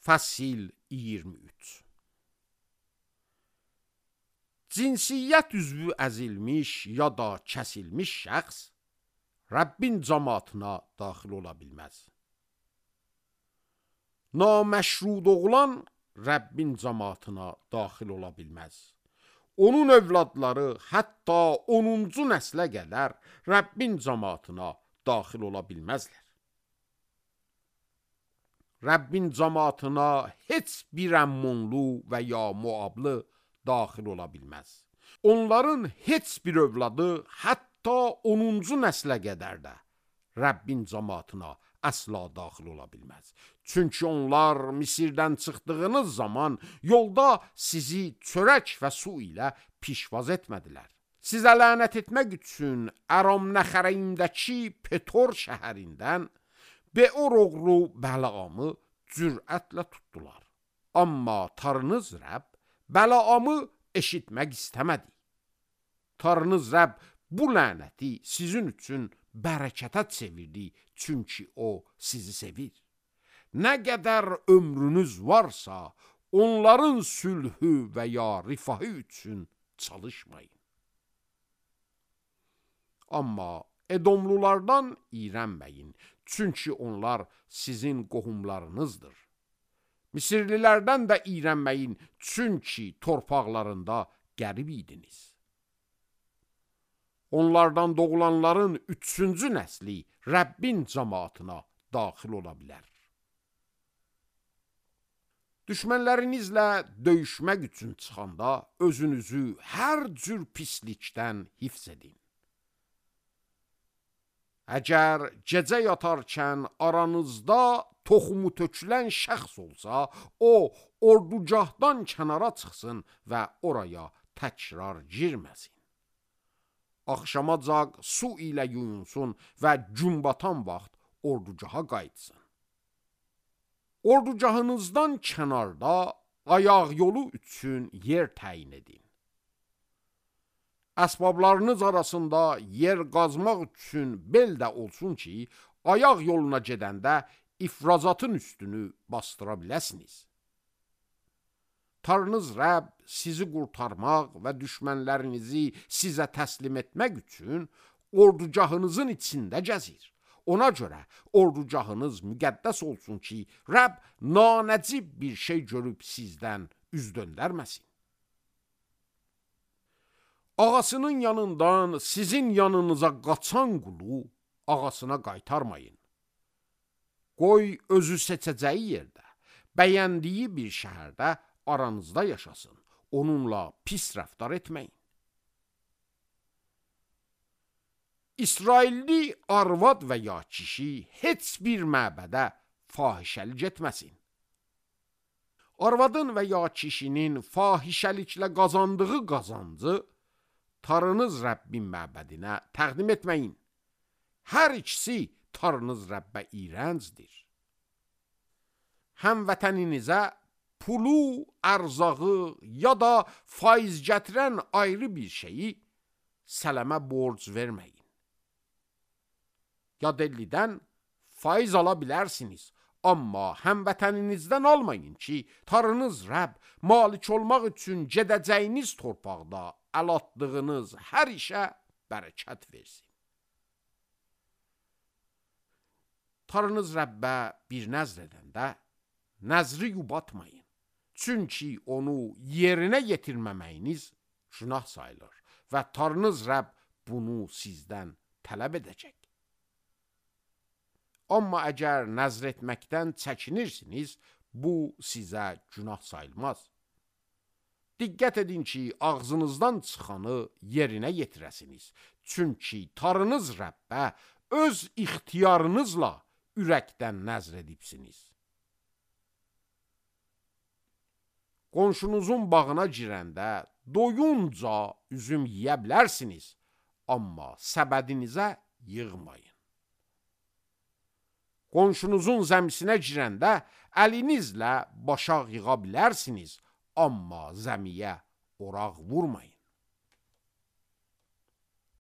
Fəsil 23. Cinsiyyət üzvü əzilmiş ya da kəsilmiş şəxs Rəbbin cəmaatına daxil ola bilməz. Naməşrud oğlan Rəbbin cəmaatına daxil ola bilməz. Onun övladları hətta 10-cu nəslə qədər Rəbbin cəmaatına daxil ola bilməzlər. Rəbbin cəmaatına heç bir əmmonlu və ya muablı daxil ola bilməz. Onların heç bir övladı hətta 10-cu nəslə qədər də Rəbbin cəmaatına əsla daxil ola bilməz. Çünki onlar Misirdən çıxdığınız zaman yolda sizi çörək və su ilə pişvaz etmədilər. Sizə lənət etmək üçün Əram nəxərəyindəki Petor şəhərindən Beor oğlu Bələamı cürətlə tutdular. Amma Tanrınız Rəbb Bələamı eşitmək istəmədi. Tanrınız Rəbb bu lənəti sizin üçün bərəkətə çevirdi, çünki o sizi sevir. Nə qədər ömrünüz varsa, onların sülhü və ya rifahı üçün çalışmayın. Amma Edomlulardan iyrənməyin, çünki onlar sizin qohumlarınızdır. Misirlilərdən də iyrənməyin, çünki torpaqlarında qərib idiniz. Onlardan doğulanların 3-cü nəsli Rəbbin cəmaatına daxil ola bilər. Düşmənlərinizlə döyüşmək üçün çıxanda özünüzü hər cür pislikdən hifz edin. Əgər gecə yatarkən aranızda toxumu tökülən şəxs olsa, o ordugahdan kənara çıxsın və oraya təkrar girməsin. Axşamacaq su ilə yuyunsun və gün batan vaxt ordugaha qayıtsın. Ordugahınızdan kənarda ayaq yolu üçün yer təyin edin. Əsbablarınız arasında yer qazmaq üçün bel də olsun ki, ayaq yoluna gedəndə ifrazatın üstünü bastıra biləsiniz. Tanrınız Rəbb sizi qurtarmaq və düşmənlərinizi sizə təslim etmək üçün ordugahınızın içində gəzir. Ona görə ordugahınız müqəddəs olsun ki, Rəbb nanəcib bir şey görüb sizdən üz döndərməsin. Ağasının yanından sizin yanınıza qaçan qulu ağasına qaytarmayın. Qoy özü seçəcəyi yerdə, bəyəndiyi bir şəhərdə aranızda yaşasın. Onunla pis rəftar etməyin. İsrailli arvad və ya kişi heç bir məbədə fahişəlik etməsin. Arvadın və ya kişinin fahişəliklə qazandığı qazancı Tanrınız Rəbbin məbədinə təqdim etməyin. Hər ikisi Tanrınız Rəbbə iyrəncdir. Həmvətəninizə pulu, ərzağı ya da faiz gətirən ayrı bir şeyi sələmə borc verməyin. Yadellidən faiz ala bilərsiniz, amma həmvətəninizdən almayın ki, Tanrınız Rəbb malik olmaq üçün gedəcəyiniz torpaqda əl atdığınız hər işə bərəkət versin. Tanrınız Rəbbə bir nəzr edəndə nəzri yubatmayın. Çünki onu yerinə yetirməməyiniz günah sayılır və Tanrınız Rəbb bunu sizdən tələb edəcək. Amma əgər nəzr etməkdən çəkinirsiniz, bu sizə günah sayılmaz. Diqqət edin ki, ağzınızdan çıxanı yerinə yetirəsiniz. Çünki Tanrınız Rəbbə öz ixtiyarınızla ürəkdən nəzr edibsiniz. Qonşunuzun bağına girəndə doyunca üzüm yeyə bilərsiniz, amma səbədinizə yığmayın. Qonşunuzun zəmisinə girəndə əlinizlə başaq yığa bilərsiniz, amma zəmiyə oraq vurmayın.